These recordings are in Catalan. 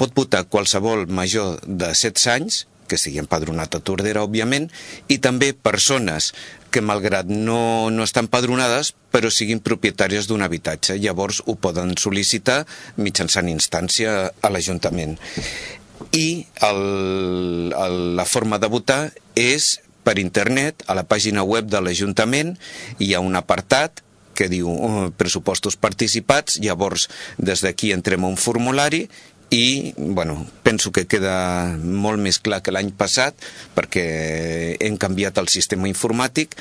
pot votar qualsevol major de 16 anys, que estigui empadronat a Tordera, òbviament, i també persones que, malgrat no estan empadronades, però siguin propietàries d'un habitatge. Llavors ho poden sol·licitar mitjançant instància a l'Ajuntament. I la forma de votar és per internet, a la pàgina web de l'Ajuntament. Hi ha un apartat que diu pressupostos participats, llavors des d'aquí entrem a un formulari i, penso que queda molt més clar que l'any passat perquè hem canviat el sistema informàtic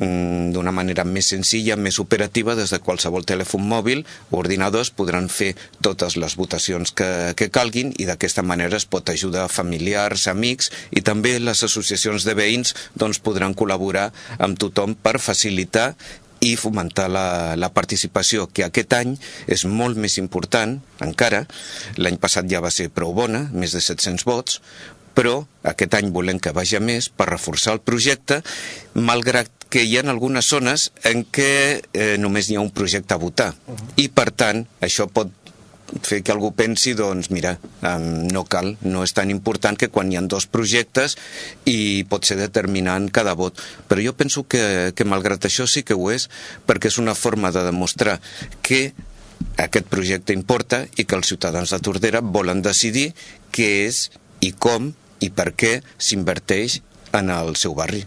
d'una manera més senzilla, més operativa. Des de qualsevol telèfon mòbil o ordinadors podran fer totes les votacions que calguin i d'aquesta manera es pot ajudar familiars, amics, i també les associacions de veïns podran col·laborar amb tothom per facilitar i fomentar la participació, que aquest any és molt més important encara. L'any passat ja va ser prou bona, més de 700 vots, però aquest any volem que vagi a més per reforçar el projecte, malgrat que hi ha algunes zones en què només hi ha un projecte a votar. I, per tant, això pot fer que algú pensi, mira, no cal, no és tan important que quan hi ha 2 projectes i pot ser determinant cada vot. Però jo penso que malgrat això sí que ho és, perquè és una forma de demostrar que aquest projecte importa i que els ciutadans de Tordera volen decidir què és i com i per què s'inverteix en el seu barri.